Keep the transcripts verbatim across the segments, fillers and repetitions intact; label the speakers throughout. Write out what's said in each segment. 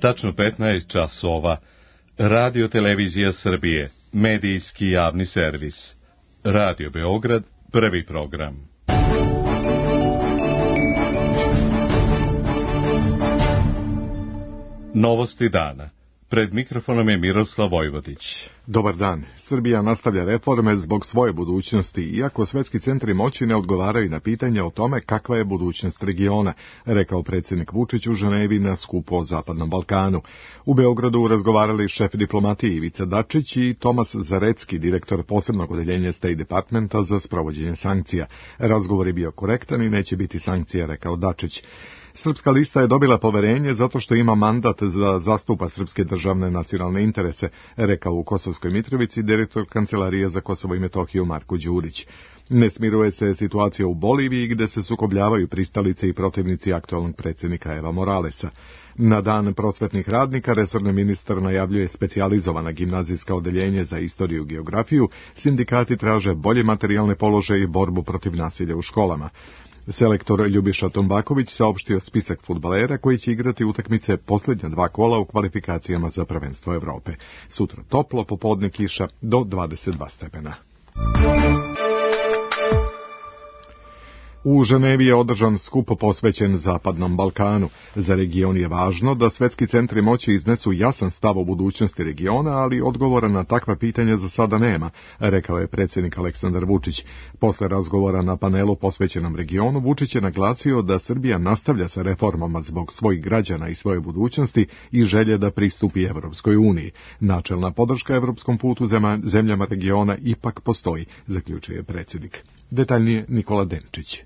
Speaker 1: Tačno petnaest časova. Radio Televizija Srbije, medijski javni servis. Radio Beograd, prvi program. Novosti dana. Pred mikrofonom je Miroslav Vojvodić.
Speaker 2: Dobar dan. Srbija nastavlja reforme zbog svoje budućnosti, iako svetski centri moći ne odgovaraju na pitanje o tome kakva je budućnost regiona, rekao predsjednik Vučić u Ženevi na skupu o Zapadnom Balkanu. U Beogradu razgovarali šef diplomatije Ivica Dačić i Tomas Zarecki, direktor posebnog odeljenja State Departmenta za sprovođenje sankcija. Razgovor je bio korektan i neće biti sankcija, rekao Dačić. Srpska lista je dobila poverenje zato što ima mandat za zastupa srpske državne nacionalne interese, rekao u Kosovskoj Mitrovici direktor Kancelarije za Kosovo i Metohiju Marko Đurić. Ne smiruje se situacija u Boliviji gde se sukobljavaju pristalice i protivnici aktualnog predsjednika Eva Moralesa. Na dan prosvetnih radnika resorni ministar najavljuje specijalizovana gimnazijska odeljenje za istoriju i geografiju, sindikati traže bolje materijalne položaje i borbu protiv nasilja u školama. Selektor Ljubiša Tombaković saopštio spisak fudbalera koji će igrati utakmice posljednja dva kola u kvalifikacijama za prvenstvo Evrope. Sutra toplo, popodne kiša do dvadeset dva stepena. U Ženevi je održan skup posvećen Zapadnom Balkanu. Za region je važno da svetski centri moći iznesu jasan stav o budućnosti regiona, ali odgovora na takva pitanja za sada nema, rekao je predsjednik Aleksandar Vučić. Posle razgovora na panelu posvećenom regionu, Vučić je naglasio da Srbija nastavlja sa reformama zbog svojih građana i svoje budućnosti i želje da pristupi Evropskoj uniji. Načelna podrška evropskom putu zemljama regiona ipak postoji, zaključuje predsjednik. Detaljnije Nikola Denčić.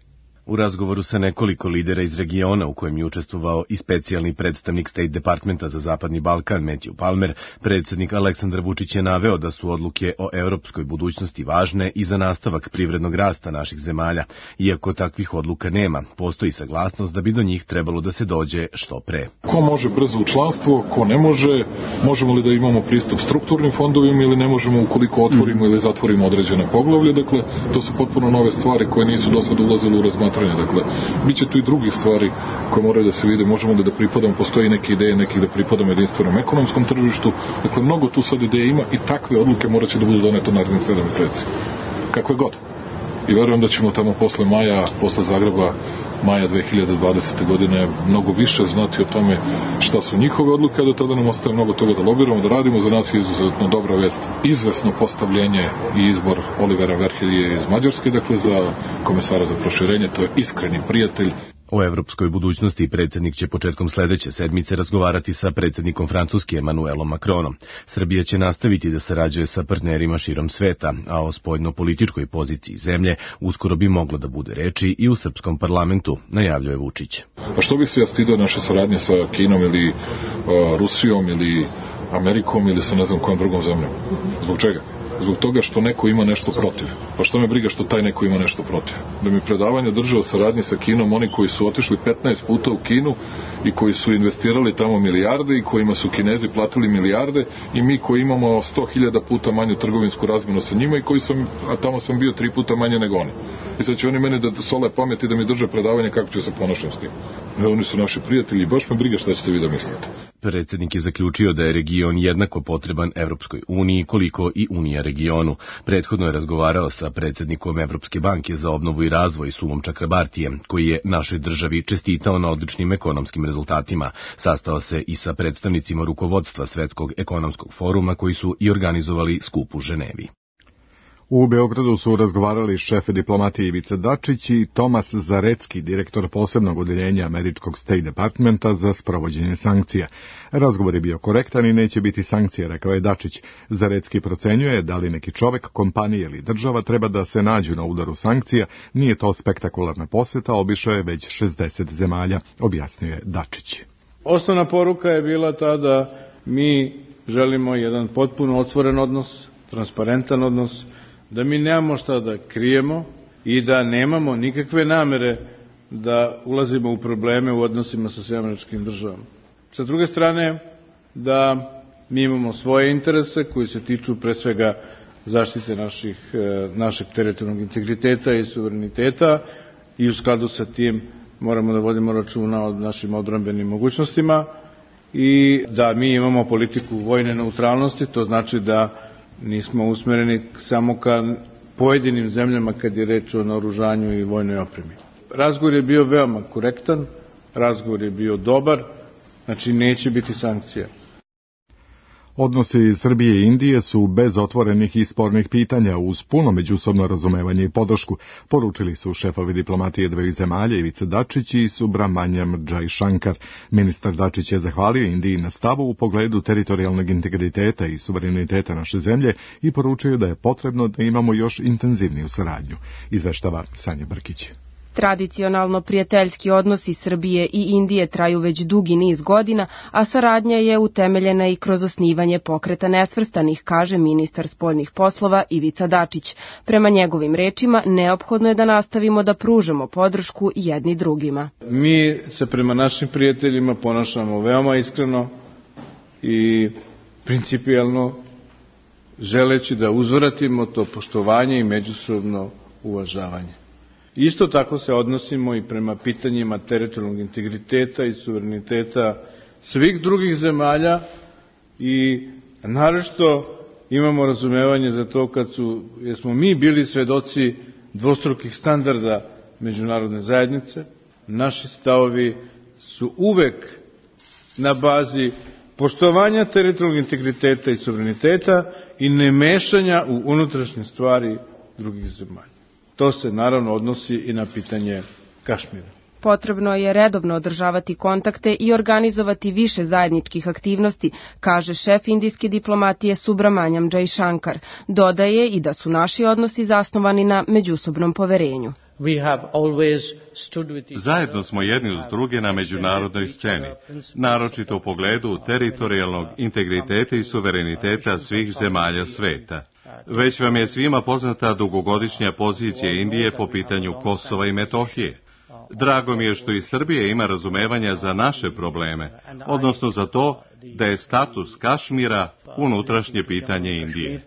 Speaker 3: U razgovoru sa nekoliko lidera iz regiona u kojem je učestvovao i specijalni predstavnik State Departmenta za Zapadni Balkan Matthew Palmer, predsjednik Aleksandar Vučić je naveo da su odluke o evropskoj budućnosti važne i za nastavak privrednog rasta naših zemalja. Iako takvih odluka nema, postoji saglasnost da bi do njih trebalo da se dođe što pre.
Speaker 4: Ko može brzo u članstvo, ko ne može, možemo li da imamo pristup strukturnim fondovima ili ne možemo ukoliko otvorimo ili zatvorimo određene poglavlje, dakle, to su potpuno nove stvari koje nisu do sada ulazile u razmatranje. Dakle, bit će tu i drugih stvari koje moraju da se vide, možemo da da pripadamo, postoji neke ideje nekih da pripadamo jedinstvenom ekonomskom tržištu, dakle, mnogo tu sad ideje ima i takve odluke morat će da budu donete narednih sedam meseci. Kakve god. I verujem da ćemo tamo posle maja, posle Zagreba, maja dve hiljade dvadesete. godine mnogo više znati o tome šta su njihove odluke, a do tada nam ostaje mnogo toga da lobiramo, da radimo. Za nas je izuzetno dobra vest izvesno postavljenje i izbor Olivera Verhelije iz Mađarske, dakle za komesara za proširenje, to je iskreni prijatelj.
Speaker 3: O evropskoj budućnosti predsjednik će početkom sledeće sedmice razgovarati sa predsjednikom Francuske Emmanuelom Macronom. Srbija će nastaviti da sarađuje sa partnerima širom sveta, a o spoljno-političkoj poziciji zemlje uskoro bi moglo da bude reči i u srpskom parlamentu, najavljuje Vučić.
Speaker 4: A što bih se ja stidio naše saradnje sa Kinom ili uh, Rusijom ili Amerikom ili sa ne znam kojom drugom zemljom? Zbog čega? Zbog toga što neko ima nešto protiv. Pa što me briga što taj neko ima nešto protiv? Da mi predavanje drže o saradnji sa Kinom oni koji su otišli petnaest puta u Kinu i koji su investirali tamo milijarde i kojima su Kinezi platili milijarde i mi koji imamo sto hiljada puta manju trgovinsku razmenu sa njima i koji sam, a tamo sam bio tri puta manje nego oni. I sad će oni mene da sole pamet i da mi drže predavanje kako ću se ponašati s tim. E, oni su naši prijatelji i baš me briga šta ćete vi da mislite.
Speaker 3: Predsjednik je zaključio da je region jednako potreban Evropskoj uniji koliko i Unija regionu. Prethodno je razgovarao sa predsjednikom Evropske banke za obnovu i razvoj Sumom Čakrabartijem, koji je našoj državi čestitao na odličnim ekonomskim rezultatima. Sastao se i sa predstavnicima rukovodstva Svetskog ekonomskog foruma koji su i organizovali skup u Ženevi.
Speaker 2: U Beogradu su razgovarali šef diplomatije Ivica Dačić i Tomas Zarecki, direktor posebnog odeljenja američkog State Departmenta za sprovođenje sankcija. Razgovor je bio korektan i neće biti sankcije, rekao je Dačić. Zarecki procenjuje da li neki čovek, kompanija ili država treba da se nađu na udaru sankcija. Nije to spektakularna poseta, obišao je već šezdeset zemalja, objasnio je Dačić.
Speaker 5: Osnovna poruka je bila ta da mi želimo jedan potpuno otvoren odnos, transparentan odnos, da mi nemamo šta da krijemo i da nemamo nikakve namere da ulazimo u probleme u odnosima sa Sjedinjenim Američkim Državama. Sa druge strane, da mi imamo svoje interese koji se tiču pre svega zaštite naših, našeg teritorijalnog integriteta i suvereniteta i u skladu sa tim moramo da vodimo računa o našim odbrambenim mogućnostima i da mi imamo politiku vojne neutralnosti, to znači da nismo usmereni samo ka pojedinim zemljama kad je reč o naoružanju i vojnoj opremi. Razgovor je bio veoma korektan, razgovor je bio dobar, znači neće biti sankcija.
Speaker 2: Odnosi Srbije i Indije su bez otvorenih i spornih pitanja uz puno međusobno razumevanje i podršku, poručili su šefovi diplomatije dveju zemalja Ivica Dačić i Subrahmanyam Jaishankar. Ministar Dačić je zahvalio Indiji na stavu u pogledu teritorijalnog integriteta i suvereniteta naše zemlje i poručio da je potrebno da imamo još intenzivniju saradnju, izveštava Sanja Brkić.
Speaker 6: Tradicionalno prijateljski odnosi Srbije i Indije traju već dugi niz godina, a saradnja je utemeljena i kroz osnivanje Pokreta nesvrstanih, kaže ministar spoljnih poslova Ivica Dačić. Prema njegovim rečima, neophodno je da nastavimo da pružamo podršku jedni drugima.
Speaker 5: Mi se prema našim prijateljima ponašamo veoma iskreno i principijelno, želeći da uzvratimo to poštovanje i međusobno uvažavanje. Isto tako se odnosimo i prema pitanjima teritorijalnog integriteta i suvereniteta svih drugih zemalja i naročito imamo razumevanje za to kad su, jer smo mi bili svedoci dvostrukih standarda međunarodne zajednice. Naši stavovi su uvek na bazi poštovanja teritorijalnog integriteta i suvereniteta i nemešanja u unutrašnje stvari drugih zemalja. To se naravno odnosi i na pitanje Kašmira.
Speaker 6: Potrebno je redovno održavati kontakte i organizovati više zajedničkih aktivnosti, kaže šef indijske diplomatije Subrahmanyam Jaishankar. Dodaje i da su naši odnosi zasnovani na međusobnom poverenju.
Speaker 1: Zajedno smo jedni uz druge na međunarodnoj sceni, naročito u pogledu teritorijalnog integriteta i suvereniteta svih zemalja sveta. Već vam je svima poznata dugogodišnja pozicija Indije po pitanju Kosova i Metohije. Drago mi je što i Srbija ima razumevanja za naše probleme, odnosno za to da je status Kašmira unutrašnje pitanje Indije.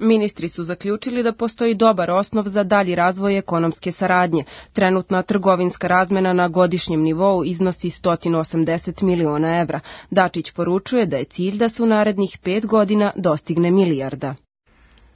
Speaker 6: Ministri su zaključili da postoji dobar osnov za dalji razvoj ekonomske saradnje. Trenutna trgovinska razmena na godišnjem nivou iznosi sto osamdeset miliona evra. Dačić poručuje da je cilj da se u narednih pet godina dostigne milijarda.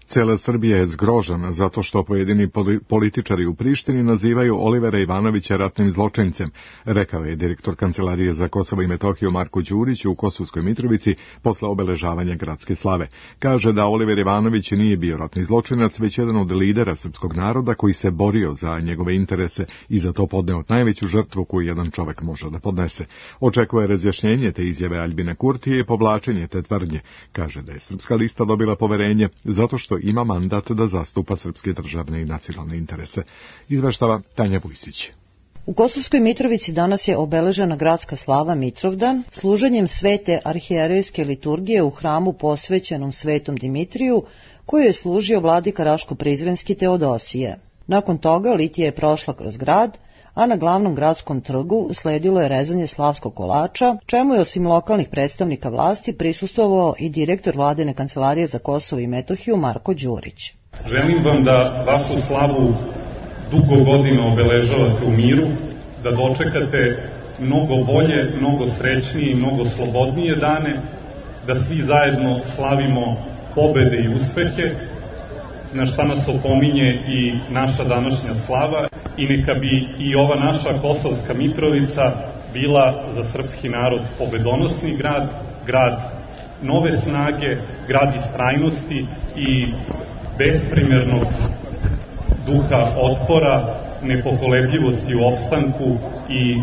Speaker 2: Cijela Srbija je zgrožena zato što pojedini političari u Prištini nazivaju Olivera Ivanovića ratnim zločincem, rekao je direktor Kancelarije za Kosovo i Metohiju Marko Đurić u Kosovskoj Mitrovici posle obeležavanja gradske slave. Kaže da Oliver Ivanović nije bio ratni zločinac, već jedan od lidera srpskog naroda koji se borio za njegove interese i za to podneo najveću žrtvu koju jedan čovek može da podnese. Očekuje razjašnjenje te izjave Aljbina Kurtije i povlačenje te tvrdnje. Kaže da je Srpska lista dobila poverenje zato što ima mandat da zastupa srpske državne i nacionalne interese, izveštava Tanja Vujsić.
Speaker 7: U Kosovskoj Mitrovici danas je obeležena gradska slava Mitrovdan služenjem svete arhijerejske liturgije u hramu posvećenom svetom Dimitriju, koju je služio vladika Raško-Prizrenski Teodosije. Nakon toga litija je prošla kroz grad, a na glavnom gradskom trgu usledilo je rezanje slavskog kolača, čemu je osim lokalnih predstavnika vlasti prisustvovao i direktor Vladine kancelarije za Kosovo i Metohiju Marko Đurić.
Speaker 8: Želim vam da vašu slavu dugo godina obeležavate u miru, da dočekate mnogo bolje, mnogo srećnije i mnogo slobodnije dane, da svi zajedno slavimo pobede i uspehe, na šta nas opominje i naša današnja slava, i neka bi i ova naša Kosovska Mitrovica bila za srpski narod pobedonosni grad, grad nove snage, grad istrajnosti i besprimernog duha otpora, nepokolebljivosti u opstanku i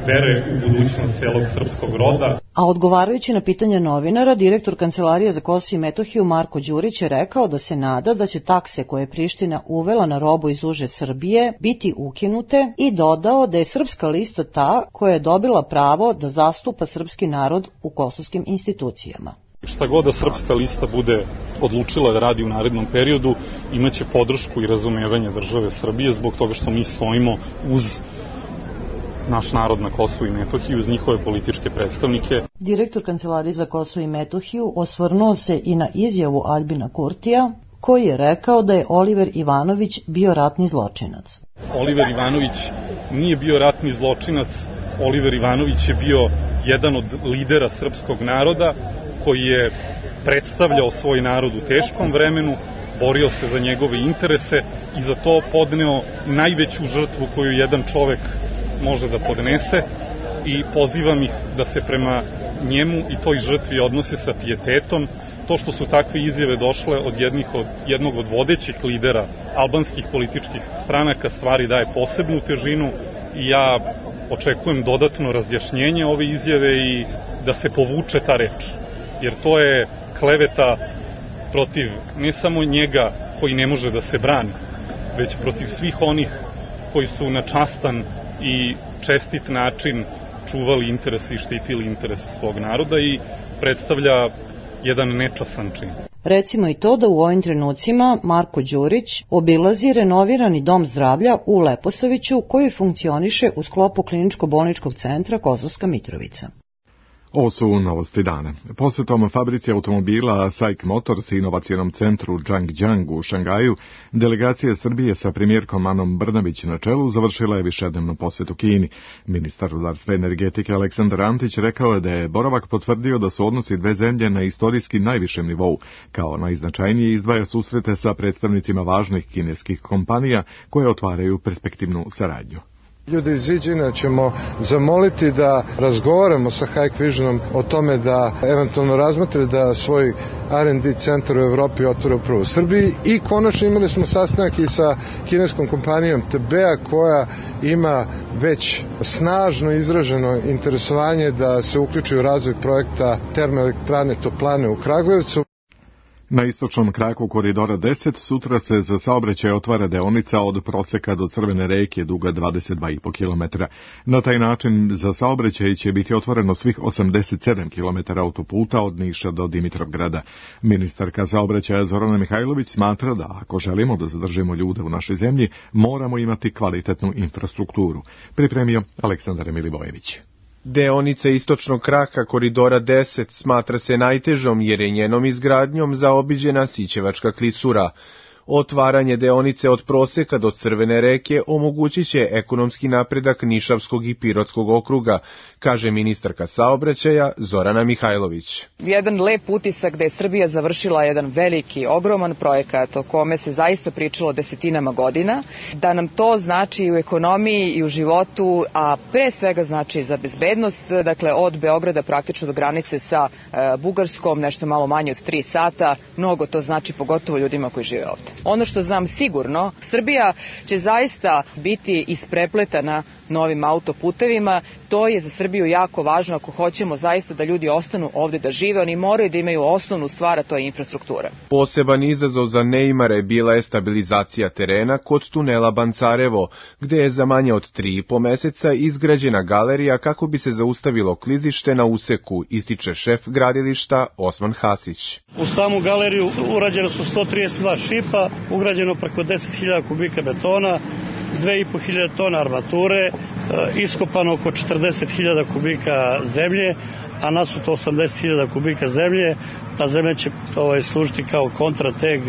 Speaker 8: vere u budućnost celog srpskog roda.
Speaker 7: A odgovarajući na pitanje novinara, direktor Kancelarije za Kosovo i Metohiju Marko Đurić je rekao da se nada da će takse koje je Priština uvela na robu iz uže Srbije biti ukinute i dodao da je Srpska lista ta koja je dobila pravo da zastupa srpski narod u kosovskim institucijama.
Speaker 8: Šta god da Srpska lista bude odlučila da radi u narednom periodu, imaće podršku i razumevanje države Srbije zbog toga što mi stojimo uz naš narod na Kosovu i Metohiji, uz njihove političke predstavnike.
Speaker 7: Direktor Kancelarije za Kosovo i Metohiju osvrnuo se i na izjavu Aljbina Kurtija, koji je rekao da je Oliver Ivanović bio ratni zločinac.
Speaker 8: Oliver Ivanović nije bio ratni zločinac Oliver Ivanović je bio jedan od lidera srpskog naroda koji je predstavljao svoj narod u teškom vremenu, borio se za njegove interese i za to podneo najveću žrtvu koju jedan čovek može da podnese i pozivam ih da se prema njemu i toj žrtvi odnose sa pijetetom. To što su takve izjave došle od, jednih od jednog od vodećih lidera albanskih političkih stranaka stvari daje posebnu težinu i ja očekujem dodatno razjašnjenje ove izjave i da se povuče ta reč, jer to je kleveta protiv ne samo njega koji ne može da se brani, već protiv svih onih koji su na častan i čestit način čuvali interese i štitili interese svog naroda i predstavlja jedan nečasan čin.
Speaker 7: Recimo i to da u ovim trenucima Marko Đurić obilazi renovirani dom zdravlja u Leposaviću koji funkcioniše u sklopu kliničko-bolničkog centra Kosovska Mitrovica.
Speaker 2: Ovo su novosti dana. Posjetom fabrici automobila SAIK Motors i inovacionom centru Zhangjiang u Šangaju, delegacija Srbije sa premijerkom Anom Brnabić na čelu završila je višednevnu posjetu Kini. Ministar rudarstva i energetike Aleksandar Antić rekao je da je boravak potvrdio da su odnosi dve zemlje na istorijski najvišem nivou. Kao najznačajnije izdvaja susrete sa predstavnicima važnih kineskih kompanija koje otvaraju perspektivnu saradnju.
Speaker 9: Ljude iz Ziđina ćemo zamoliti da razgovaramo sa Hikvisionom o tome da eventualno razmotre da svoj R and D centar u Evropi otvore upravo u Srbiji i konačno imali smo sastanak i sa kineskom kompanijom T B A koja ima već snažno izraženo interesovanje da se uključi u razvoj projekta termoelektrane Toplane u Kragujevcu.
Speaker 2: Na istočnom kraku koridora deset sutra se za saobraćaj otvara deonica od Proseka do Crvene reke duga dvadeset dva i po kilometra. Na taj način za saobraćaj će biti otvoreno svih osamdeset sedam kilometara autoputa od Niša do Dimitrovgrada. Ministarka saobraćaja Zorana Mihajlović smatra da ako želimo da zadržimo ljude u našoj zemlji, moramo imati kvalitetnu infrastrukturu. Pripremio Aleksandar Milivojević.
Speaker 10: Deonica istočnog kraka koridora deset smatra se najtežom jer je njenom izgradnjom zaobiđena Sićevačka klisura. Otvaranje deonice od Proseka do Crvene reke omogućit će ekonomski napredak Nišavskog i Pirotskog okruga, kaže ministarka saobraćaja Zorana Mihajlović.
Speaker 11: Jedan lep utisak da je Srbija završila jedan veliki, ogroman projekat o kome se zaista pričalo desetinama godina, da nam to znači i u ekonomiji i u životu, a pre svega znači za bezbednost, dakle od Beograda praktično do granice sa e, Bugarskom, nešto malo manje od tri sata, mnogo to znači pogotovo ljudima koji žive ovde. Ono što znam sigurno, Srbija će zaista biti isprepletana novim autoputevima, to je za Srbiju jako važno ako hoćemo zaista da ljudi ostanu ovde da žive, oni moraju da imaju osnovnu stvar, a to je infrastruktura.
Speaker 10: Poseban izazov za neimare bila je stabilizacija terena kod tunela Bancarevo, gde je za manje od tri i po meseca izgrađena galerija kako bi se zaustavilo klizište na useku, ističe šef gradilišta Osman Hasić.
Speaker 12: U samu galeriju urađeno su sto trideset dva šipa, ugrađeno preko deset hiljada kubika betona, dve i po hiljade tona armature, iskopano oko četrdeset hiljada kubika zemlje, a nasuto osamdeset hiljada kubika zemlje. Ta zemlja će ovaj, služiti kao kontrateg,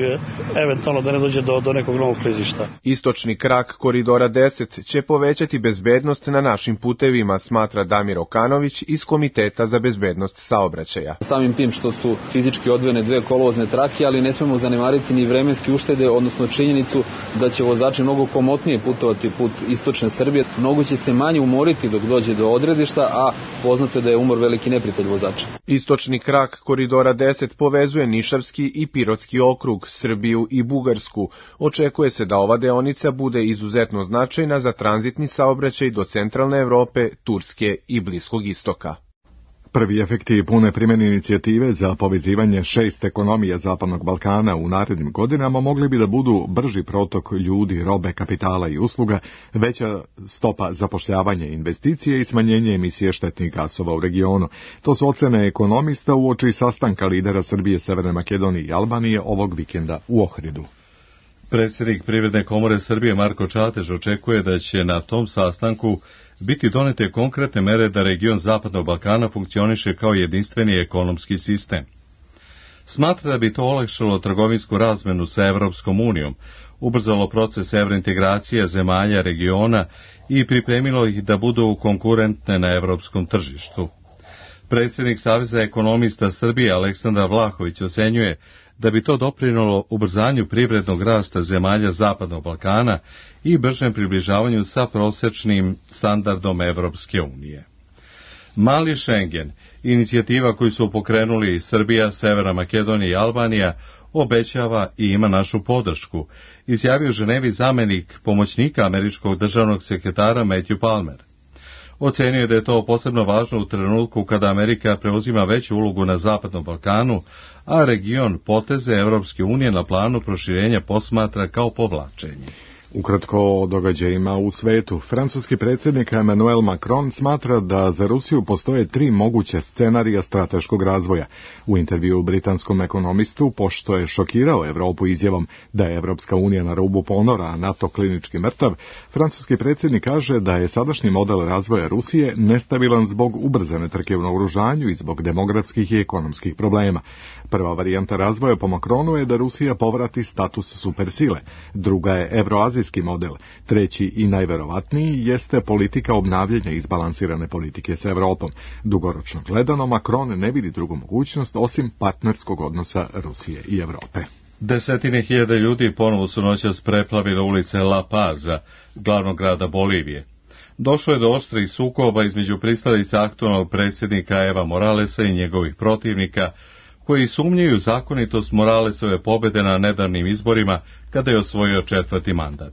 Speaker 12: eventualno da ne dođe do, do nekog novog klizišta.
Speaker 10: Istočni krak koridora deset će povećati bezbednost na našim putevima, smatra Damir Okanović iz Komiteta za bezbednost saobraćaja.
Speaker 13: Samim tim što su fizički odvojene dve kolovozne trake, ali ne smemo zanemariti ni vremenske uštede, odnosno činjenicu da će vozači mnogo komotnije putovati put istočne Srbije. Mnogo će se manje umoriti dok dođe do odredišta, a poznato je da je umor veliki neprijatelj vozača.
Speaker 10: Istočni krak koridora deset povezuje Nišavski i Pirotski okrug, Srbiju i Bugarsku. Očekuje se da ova deonica bude izuzetno značajna za tranzitni saobraćaj do centralne Evrope, Turske i Bliskog istoka.
Speaker 2: Prvi efekti pune primjene inicijative za povezivanje šest ekonomija Zapadnog Balkana u narednim godinama mogli bi da budu brži protok ljudi, robe, kapitala i usluga, veća stopa zapošljavanja investicije i smanjenje emisije štetnih gasova u regionu. To su ocene ekonomista uoči sastanka lidera Srbije, Severne Makedonije i Albanije ovog vikenda u Ohridu.
Speaker 1: Predsjednik Privredne komore Srbije Marko Čatež očekuje da će na tom sastanku biti donete konkretne mere da region Zapadnog Balkana funkcioniše kao jedinstveni ekonomski sistem. Smatra da bi to olakšalo trgovinsku razmenu sa Evropskom unijom, ubrzalo proces evrointegracije zemalja regiona i pripremilo ih da budu konkurentne na evropskom tržištu. Predsjednik Saveza ekonomista Srbije Aleksandar Vlahović ocenjuje da bi to doprinelo ubrzanju privrednog rasta zemalja Zapadnog Balkana i bržem približavanju sa prosječnim standardom Evropske unije. Mali Schengen, inicijativa koju su pokrenuli Srbija, Severna Makedonija i Albanija, obećava i ima našu podršku, izjavio u Ženevi zamenik pomoćnika američkog državnog sekretara Matthew Palmer. Ocenio je da je to posebno važno u trenutku kada Amerika preuzima veću ulogu na Zapadnom Balkanu, a region poteze Evropske unije na planu proširenja posmatra kao povlačenje.
Speaker 2: Ukratko o događajima u svetu. Francuski predsjednik Emmanuel Macron smatra da za Rusiju postoje tri moguće scenarija strateškog razvoja. U intervju britanskom ekonomistu, pošto je šokirao Evropu izjavom da je Evropska unija na rubu ponora, a NATO klinički mrtav, francuski predsjednik kaže da je sadašnji model razvoja Rusije nestabilan zbog ubrzane trke u naoružanju i zbog demografskih i ekonomskih problema. Prva varijanta razvoja po Macronu je da Rusija povrati status supersile. Druga je evroazijski model. Treći i najverovatniji jeste politika obnavljanja izbalansirane politike s Evropom. Dugoročno gledano, Macron ne vidi drugu mogućnost osim partnerskog odnosa Rusije i Evrope.
Speaker 1: Desetine hiljada ljudi ponovo su noćas preplavile ulice La Paza, glavnog grada Bolivije. Došlo je do oštrih sukoba između pristalica aktualnog predsjednika Eva Moralesa i njegovih protivnika, koji sumnjaju zakonitost Moralesove pobjede na nedavnim izborima kada je osvojio četvrti mandat.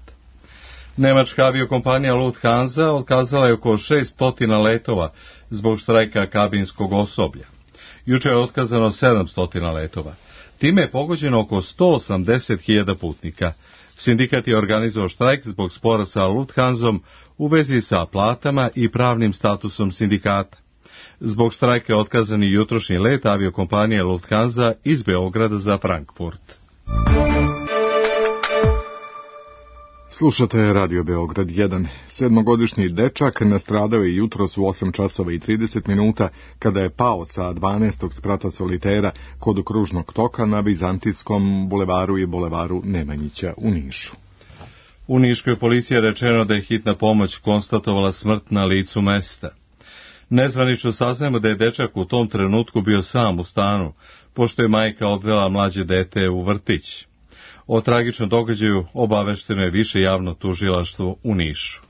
Speaker 1: Nemačka aviokompanija Lufthansa otkazala je oko šesto letova zbog štrajka kabinskog osoblja. Juče je otkazano sedamsto letova. Time je pogođeno oko sto osamdeset hiljada putnika. Sindikat je organizovao štrajk zbog spora sa Lufthansom u vezi sa platama i pravnim statusom sindikata. Zbog štrajka je otkazan i jutrošnji let aviokompanije Lufthansa iz Beograda za Frankfurt.
Speaker 2: Slušate Radio Beograd jedan. Sedmogodišnji dečak nastradao je jutros u osam časova i trideset minuta kada je pao sa dvanaestog sprata solitera kod kružnog toka na Vizantijskom bulevaru i bulevaru Nemanjića u Nišu.
Speaker 1: U Niškoj policiji je rečeno da je hitna pomoć konstatovala smrt na licu mesta. Nezvanično saznajemo da je dečak u tom trenutku bio sam u stanu, pošto je majka odvela mlađe dete u vrtić. O tragičnom događaju obavešteno je više javno tužilaštvo u Nišu.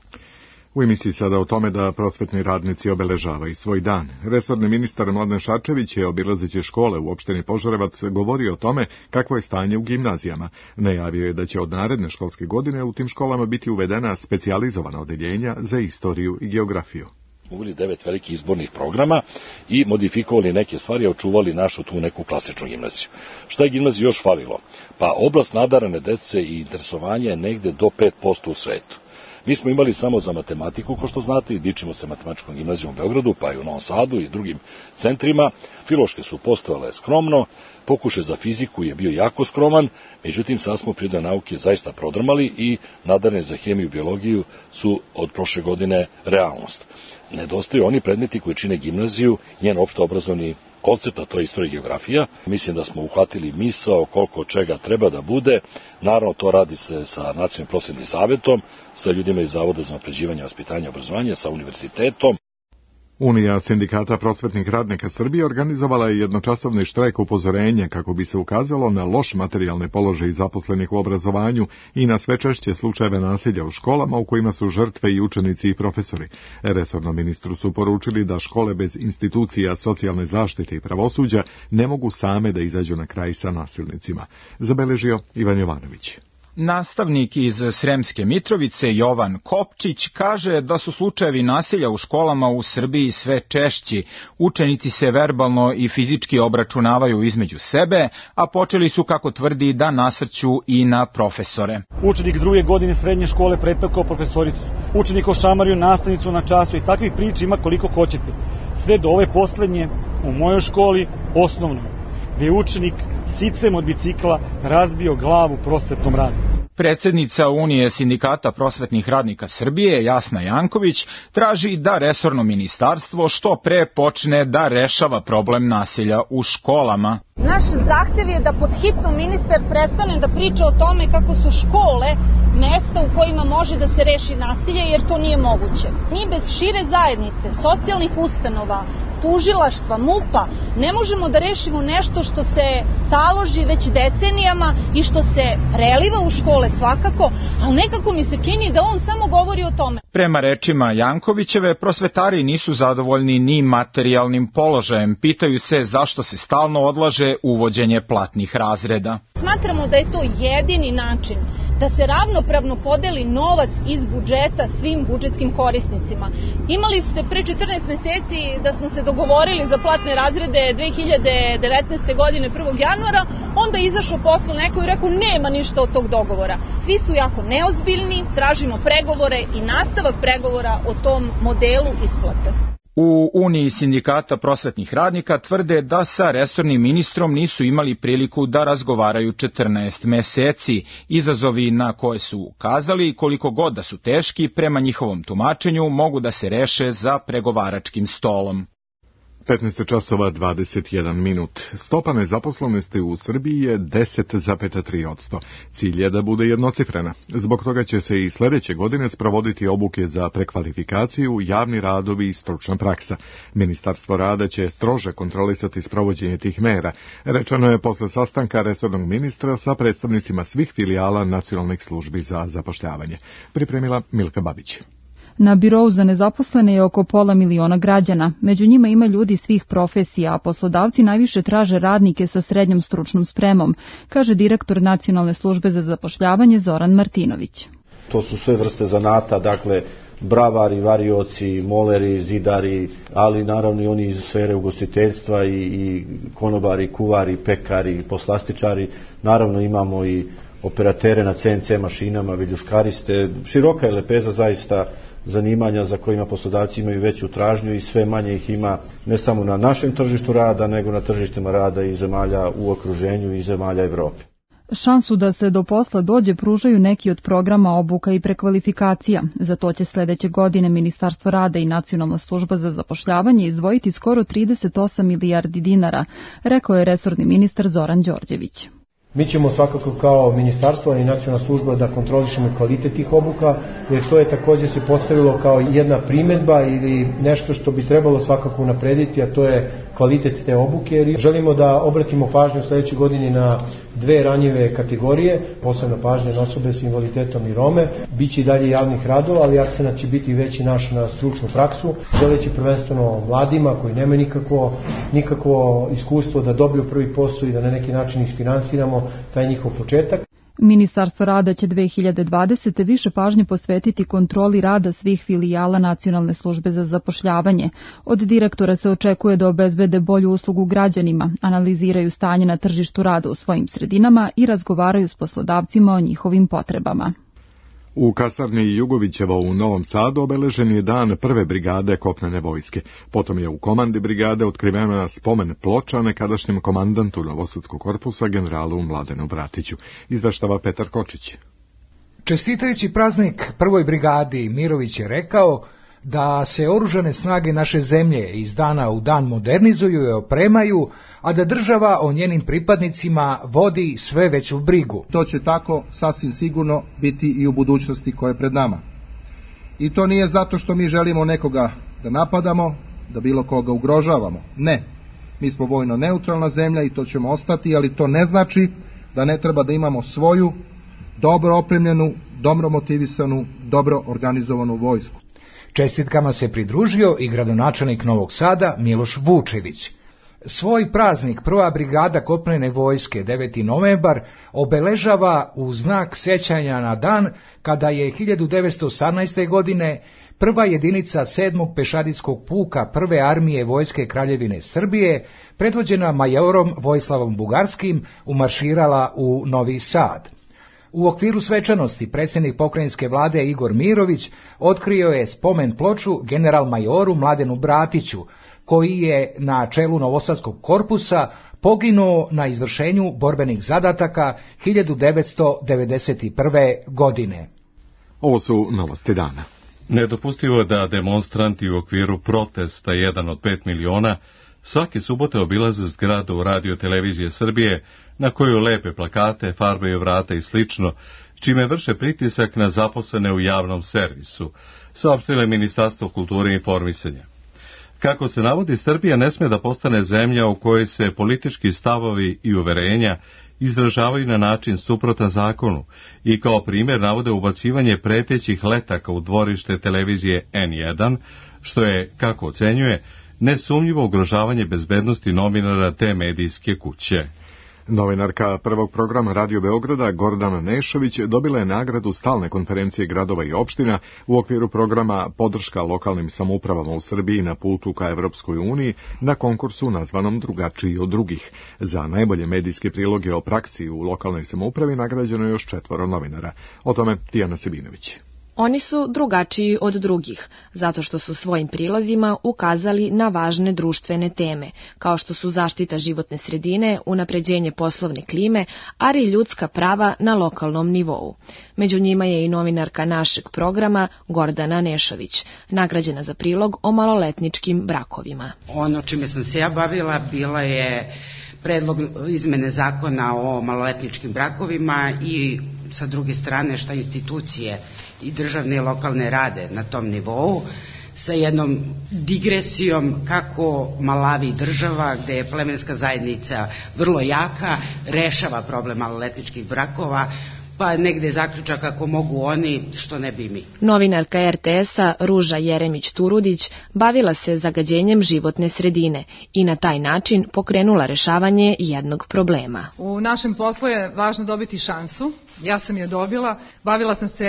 Speaker 2: U emisiji sada o tome da prosvetni radnici obeležavaju svoj dan. Resorni ministar Mladen Šarčević je, obilazeći škole u opštini Požarevac, govorio o tome kakvo je stanje u gimnazijama. Najavio je da će od naredne školske godine u tim školama biti uvedena specijalizovana odeljenja za istoriju i geografiju.
Speaker 14: Uveli devet velikih izbornih programa i modifikovali neke stvari, a očuvali našu tu neku klasičnu gimnaziju. Šta je gimnaziji još falilo? Pa oblast nadarane dece i interesovanja je negde do pet posto u svetu. Mi smo imali samo za matematiku, ko što znate, i dičimo se matematičkom gimnazijom u Beogradu, pa i u Novom Sadu i drugim centrima. Filološke su postojale skromno, pokušaj za fiziku je bio jako skroman, međutim sad smo prirodne nauke zaista prodrmali i nadarne za hemiju i biologiju su od prošle godine realnost. Nedostaju oni predmeti koji čine gimnaziju, njen opšto obrazovni koncept, a to je istorija i geografija. Mislim da smo uhvatili misao koliko čega treba da bude. Naravno, to radi se sa Nacionalnim prosvetnim savetom, sa ljudima iz Zavoda za unapređivanje vaspitanja i obrazovanja, sa univerzitetom.
Speaker 2: Unija sindikata prosvetnih radnika Srbije organizovala je jednočasovni štrajk upozorenja kako bi se ukazalo na loš materijalni položaj zaposlenih u obrazovanju i na sve češće slučajeve nasilja u školama u kojima su žrtve i učenici i profesori. Resornom ministru su poručili da škole bez institucija socijalne zaštite i pravosuđa ne mogu same da izađu na kraj sa nasilnicima. Zabeležio Ivan Jovanović.
Speaker 15: Nastavnik iz Sremske Mitrovice Jovan Kopčić kaže da su slučajevi nasilja u školama u Srbiji sve češći. Učenici se verbalno i fizički obračunavaju između sebe, a počeli su, kako tvrdi, da nasrću i na profesore.
Speaker 16: Učenik druge godine srednje škole pretakao profesoricu. Učenik ošamario nastavnicu na času i takvih priča ima koliko hoćete. Sve do ove poslednje u mojoj školi osnovnoj, gde je učenik sicem od bicikla razbio glavu prosvetnom radniku.
Speaker 15: Predsjednica Unije sindikata prosvetnih radnika Srbije, Jasna Janković, traži da resorno ministarstvo što pre počne da rešava problem nasilja u školama.
Speaker 17: Naš zahtev je da pod hitno ministar prestane da priča o tome kako su škole mesta u kojima može da se reši nasilje, jer to nije moguće. Mi bez šire zajednice, socijalnih ustanova, tužilaštva, MUP-a, ne možemo da rešimo nešto što se taloži već decenijama i što se preliva u škole svakako, ali nekako mi se čini da on samo govori o tome.
Speaker 15: Prema rečima Jankovićeve, prosvetari nisu zadovoljni ni materijalnim položajem. Pitaju se zašto se stalno odlaže uvođenje platnih razreda.
Speaker 17: Smatramo da je to jedini način da se ravnopravno podeli novac iz budžeta svim budžetskim korisnicima. Imali ste pre četrnaest meseci da smo se dogovorili za platne razrede dve hiljade devetnaeste. godine prvog januara, onda je izašao posle neko i rekao nema ništa od tog dogovora. Svi su jako neozbiljni, tražimo pregovore i nastavak pregovora o tom modelu isplate.
Speaker 15: U Uniji sindikata prosvetnih radnika tvrde da sa resornim ministrom nisu imali priliku da razgovaraju četrnaest meseci. Izazovi na koje su ukazali, koliko god da su teški, prema njihovom tumačenju mogu da se reše za pregovaračkim stolom.
Speaker 2: petnaest časova dvadeset jedan minut. Stopa nezaposlenosti u Srbiji je deset zarez tri posto. Cilj je da bude jednocifrena. Zbog toga će se i sljedeće godine sprovoditi obuke za prekvalifikaciju, javni radovi i stručna praksa. Ministarstvo rada će strože kontrolisati sprovođenje tih mera. Rečeno je posle sastanka resornog ministra sa predstavnicima svih filijala nacionalnih službi za zapošljavanje. Pripremila Milka Babić.
Speaker 18: Na birou za nezaposlene je oko pola miliona građana. Među njima ima ljudi svih profesija, a poslodavci najviše traže radnike sa srednjom stručnom spremom, kaže direktor Nacionalne službe za zapošljavanje Zoran Martinović.
Speaker 19: To su sve vrste zanata, dakle bravari, varioci, moleri, zidari, ali naravno i oni iz sfere ugostiteljstva i, i konobari, kuvari, pekari, poslastičari. Naravno imamo i operatere na C N C mašinama, viljuškariste. Široka je lepeza zaista zanimanja za kojima poslodavci imaju veću tražnju i sve manje ih ima ne samo na našem tržištu rada, nego na tržištima rada i zemalja u okruženju i zemalja Evrope.
Speaker 18: Šansu da se do posla dođe pružaju neki od programa obuka i prekvalifikacija. Za to će sledeće godine Ministarstvo rada i Nacionalna služba za zapošljavanje izdvojiti skoro trideset osam milijardi dinara, rekao je resorni ministar Zoran Đorđević.
Speaker 20: Mi ćemo svakako kao ministarstvo i nacionalna služba da kontrolišemo kvalitet tih obuka, jer to je također se postavilo kao jedna primedba ili nešto što bi trebalo svakako unaprediti, a to je kvalitet te obuke, jer želimo da obratimo pažnju u sledećoj godini na dve ranjive kategorije, posebno pažnje na osobe s invaliditetom i Rome. Biće i dalje javnih radova, ali akcenat će biti veći naš na stručnu praksu, želeći prvenstveno mladima koji nemaju nikakvo, nikakvo iskustvo da dobiju prvi posao i da na neki način isfinansiramo taj njihov početak.
Speaker 18: Ministarstvo rada će dve hiljade dvadesete. više pažnje posvetiti kontroli rada svih filijala Nacionalne službe za zapošljavanje. Od direktora se očekuje da obezbede bolju uslugu građanima, analiziraju stanje na tržištu rada u svojim sredinama i razgovaraju s poslodavcima o njihovim potrebama.
Speaker 2: U kasarni Jugovićeva u Novom Sadu obeležen je dan prve brigade kopnene vojske. Potom je u komandi brigade otkrivena spomen ploča nekadašnjem komandantu Novosadskog korpusa generalu Mladenu Bratiću. Izveštava Petar Kočić.
Speaker 21: Čestitajući praznik prvoj brigadi, Mirović je rekao da se oružane snage naše zemlje iz dana u dan modernizuju i opremaju, a da država o njenim pripadnicima vodi sve veću brigu.
Speaker 22: To će tako sasvim sigurno biti i u budućnosti koja je pred nama. I to nije zato što mi želimo nekoga da napadamo, da bilo koga ugrožavamo. Ne, mi smo vojno neutralna zemlja i to ćemo ostati, ali to ne znači da ne treba da imamo svoju dobro opremljenu, dobro motivisanu, dobro organizovanu vojsku.
Speaker 21: Čestitkama se pridružio i gradonačelnik Novog Sada Miloš Vučević. Svoj praznik prva brigada kopnene vojske deveti novembar obeležava u znak sećanja na dan kada je hiljadu devetsto osamnaeste. godine prva jedinica sedmog pešadijskog puka prve armije vojske Kraljevine Srbije, predvođena majorom Vojislavom Bugarskim, umarširala u Novi Sad. U okviru svečanosti predsjednik pokrajinske vlade Igor Mirović otkrio je spomen ploču general majoru Mladenu Bratiću, koji je na čelu Novosadskog korpusa poginuo na izvršenju borbenih zadataka hiljadu devetsto devedeset prve. godine.
Speaker 2: Ovo su novosti dana.
Speaker 1: Nedopustivo je da demonstranti u okviru protesta jedan od pet miliona svake subote obilaze zgradu Radio televizije Srbije na koju lepe plakate, farbaju vrata i slično, čime vrše pritisak na zaposlene u javnom servisu, saopštilo je Ministarstvo kulture i informisanja. Kako se navodi, Srbija ne sme da postane zemlja u kojoj se politički stavovi i uverenja izražavaju na način suprotan zakonu i kao primjer navode ubacivanje pretećih letaka u dvorište televizije en jedan, što je, kako ocenjuje, nesumnjivo ugrožavanje bezbednosti novinara te medijske kuće.
Speaker 2: Novinarka prvog programa Radio Beograda Gordana Nešović dobila je nagradu stalne konferencije gradova i opština u okviru programa Podrška lokalnim samoupravama u Srbiji na putu ka Evropskoj uniji na konkursu nazvanom Drugačiji od drugih. Za najbolje medijske priloge o praksi u lokalnoj samoupravi nagrađeno je još četvoro novinara. O tome Tijana Sebinović.
Speaker 3: Oni su drugačiji od drugih, zato što su svojim prilozima ukazali na važne društvene teme, kao što su zaštita životne sredine, unapređenje poslovne klime, ali i ljudska prava na lokalnom nivou. Među njima je i novinarka našeg programa Gordana Nešović, nagrađena za prilog o maloletničkim brakovima.
Speaker 4: Ono čime sam se ja bavila bila je predlog izmene zakona o maloletničkim brakovima i sa druge strane šta institucije i državne i lokalne rade na tom nivou, sa jednom digresijom kako Malavi država, gde je plemenska zajednica vrlo jaka, rešava problem maloletničkih brakova, pa negde zaključak kako mogu oni, što ne bi mi.
Speaker 3: Novinarka er te esa Ruža Jeremić-Turudić bavila se zagađenjem životne sredine i na taj način pokrenula rešavanje jednog problema.
Speaker 23: U našem poslu je važno dobiti šansu. Ja sam je dobila. Bavila sam se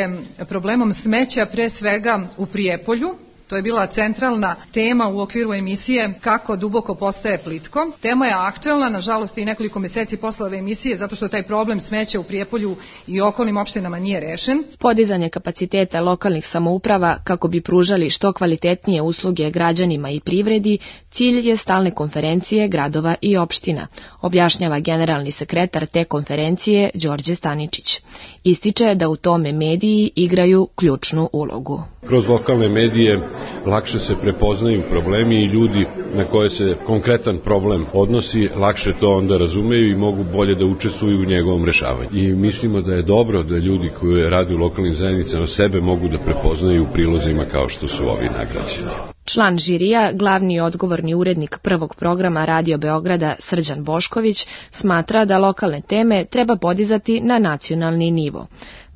Speaker 23: problemom smeća pre svega u Prijepolju. To je bila centralna tema u okviru emisije Kako duboko postaje plitko. Tema je aktuelna, nažalost i nekoliko meseci posle ove emisije, zato što taj problem smeća u Prijepolju i okolnim opštinama nije rešen.
Speaker 3: Podizanje kapaciteta lokalnih samouprava kako bi pružali što kvalitetnije usluge građanima i privredi, cilj je stalne konferencije gradova i opština, objašnjava generalni sekretar te konferencije Đorđe Staničić. Ističe da u tome mediji igraju ključnu ulogu.
Speaker 24: Kroz lokalne medije lakše se prepoznaju problemi i ljudi na koje se konkretan problem odnosi, lakše to onda razumeju i mogu bolje da učestvuju u njegovom rešavanju. I mislimo da je dobro da ljudi koji rade u lokalnim zajednicama sebe mogu da prepoznaju u prilozima kao što su ovi nagrađeni.
Speaker 3: Član žirija, glavni i odgovorni urednik prvog programa Radio Beograda Srđan Bošković, smatra da lokalne teme treba podizati na nacionalni nivo.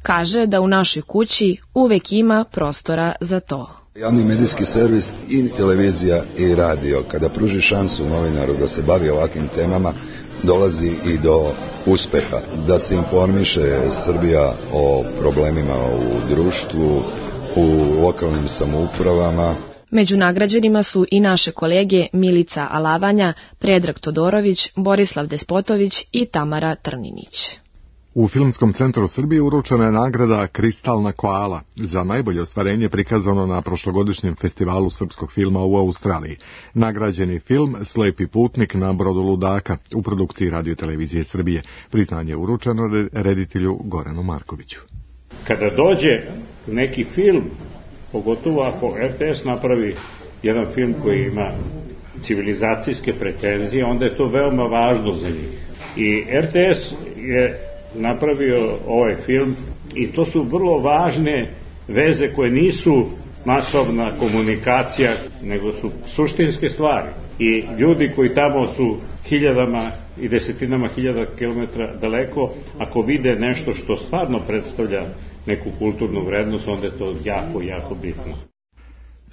Speaker 3: Kaže da u našoj kući uvek ima prostora za to.
Speaker 25: Javni medijski servis i televizija i radio, kada pruži šansu novinaru da se bavi ovakvim temama, dolazi i do uspeha, da se informiše Srbija o problemima u društvu, u lokalnim samoupravama.
Speaker 3: Među nagrađenima su i naše kolege Milica Alavanja, Predrag Todorović, Borislav Despotović i Tamara Trninić.
Speaker 2: U Filmskom centru Srbije uručena je nagrada Kristalna koala za najbolje ostvarenje prikazano na prošlogodišnjem festivalu srpskog filma u Australiji. Nagrađeni film Slepi putnik na brodu ludaka u produkciji Radio televizije Srbije. Priznanje je uručeno reditelju Goranu Markoviću.
Speaker 26: Kada dođe neki film, pogotovo ako er te es napravi jedan film koji ima civilizacijske pretenzije, onda je to veoma važno za njih. I er te es je napravio ovaj film i to su vrlo važne veze koje nisu masovna komunikacija, nego su suštinske stvari. I ljudi koji tamo su hiljadama i desetinama hiljada kilometra daleko, ako vide nešto što stvarno predstavlja neku kulturnu vrednost, onda je to jako, jako bitno.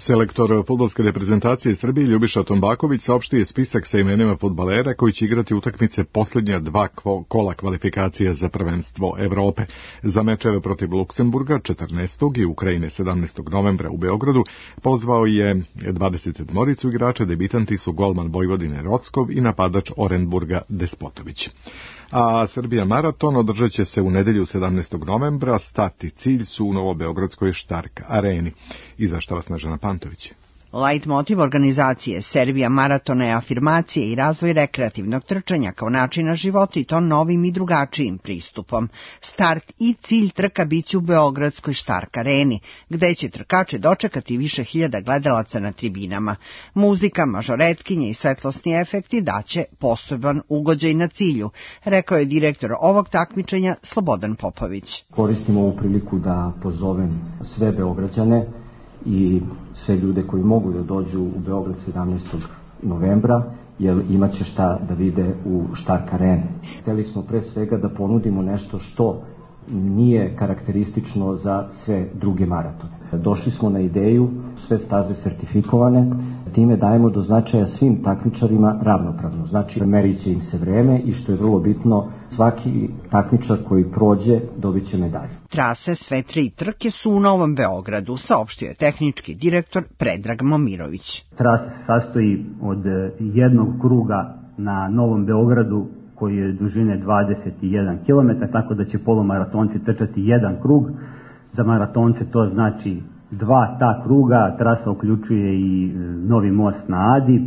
Speaker 2: Selektor fudbalske reprezentacije Srbije Ljubiša Tombaković saopštio je spisak sa imenima fudbalera koji će igrati utakmice posljednja dva kola kvalifikacija za prvenstvo Evrope. Za mečeve protiv Luksemburga četrnaestog i Ukrajine sedamnaestog novembra u Beogradu pozvao je dvadeset sedmoricu igrača, debitanti su golman Vojvodine Rockov i napadač Orenburga Despotović. A Srbija maraton održat će se u nedelju sedamnaestog novembra, start i cilj su u Novobeogradskoj Štark areni. Izveštava Snežana Pantović.
Speaker 5: Light motiv organizacije Serbija maratona je afirmacije i razvoj rekreativnog trčanja kao načina života i to novim i drugačijim pristupom. Start i cilj trka biće u Beogradskoj Štark areni, gde će trkače dočekati više hiljada gledalaca na tribinama. Muzika, mažoretkinje i svetlosni efekti daće poseban ugođaj na cilju, rekao je direktor ovog takmičenja Slobodan Popović.
Speaker 6: Koristim ovu priliku da pozovem sve Beograđane i sve ljude koji mogu da dođu u Beograd sedamnaestog novembra, jer imat će šta da vide u Štark areni. Hteli smo pre svega da ponudimo nešto što nije karakteristično za sve druge maratone. Došli smo na ideju, sve staze sertifikovane, time dajemo do značaja svim takmičarima ravnopravno. Znači, merit će im se vreme i što je vrlo bitno, svaki takmičar koji prođe dobit će medalju.
Speaker 5: Trase sve tri trke su u Novom Beogradu, saopštio je tehnički direktor Predrag Momirović.
Speaker 7: Trasa se sastoji od jednog kruga na Novom Beogradu koji je dužine dvadeset jedan kilometar, tako da će polumaratonci trčati jedan krug. Za maratonce to znači dva ta kruga, trasa uključuje i Novi most na Adi.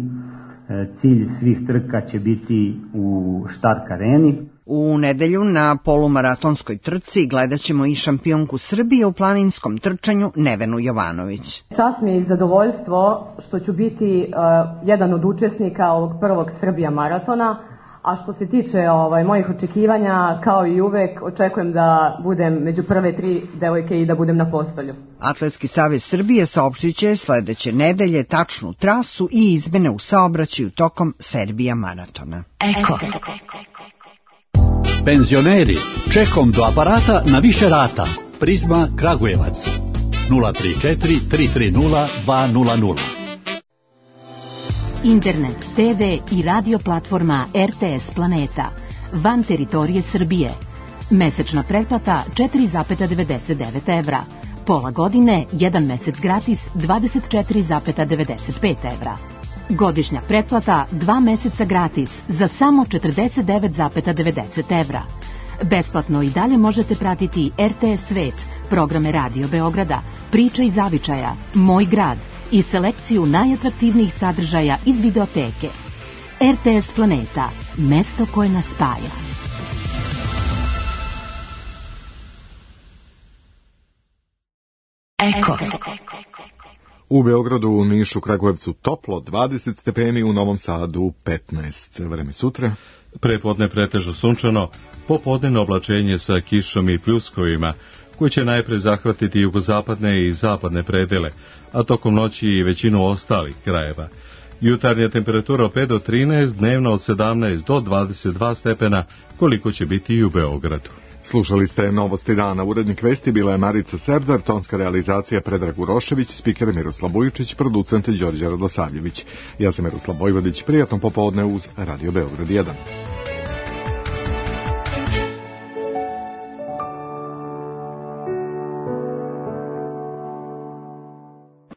Speaker 7: Cilj svih trka će biti u Štark areni.
Speaker 5: U nedelju na polumaratonskoj trci gledat ćemo i šampionku Srbije u planinskom trčanju Nevenu Jovanović.
Speaker 8: Čast mi je i zadovoljstvo što ću biti uh, jedan od učesnika ovog prvog Srbija maratona. A što se tiče ovaj, mojih očekivanja, kao i uvek, očekujem da budem među prve tri devojke i da budem na postolju.
Speaker 5: Atletski savez Srbije saopštit će sledeće nedelje tačnu trasu i izmene u saobraćaju tokom Serbija maratona.
Speaker 9: Eko. Penzioneri, čekom do aparata na više rata. Prizma Kragujevac. nula tri četiri tri tri nula dva nula nula.
Speaker 11: Internet, te ve i radio platforma er te es Planeta. Van teritorije Srbije. Mesečna pretplata četiri zarez devedeset devet evra. Pola godine, jedan mesec gratis dvadeset četiri zarez devedeset pet evra. Godišnja pretplata dva meseca gratis za samo četrdeset devet zarez devedeset evra. Besplatno i dalje možete pratiti er te es Svet, programe Radio Beograda, Priča iz zavičaja, Moj grad i selekciju najatraktivnijih sadržaja iz videoteke. er te es Planeta, mesto koje nas spaja.
Speaker 2: Eko. U Beogradu, u Nišu, Kragujevcu toplo dvadeset stepeni, u Novom Sadu petnaest. Vreme sutra.
Speaker 1: Prepodne pretežno sunčano, popodnevno oblačenje sa kišom i pljuskovima, koji će najpre zahvatiti jugozapadne i zapadne predele, a tokom noći i većinu ostalih krajeva. Jutarnja temperatura od pet do trinaest, dnevno od sedamnaest do dvadeset dva stepena, koliko će biti i u Beogradu.
Speaker 2: Slušali ste Novosti dana. Urednik vesti bila je Marica Serdar, tonska realizacija Predrag Urošević, spiker Miroslav Bujičić, producent Đorđe Radosavljević. Ja sam Miroslav Vojvodić, prijatno popodne uz Radio Beograd jedan.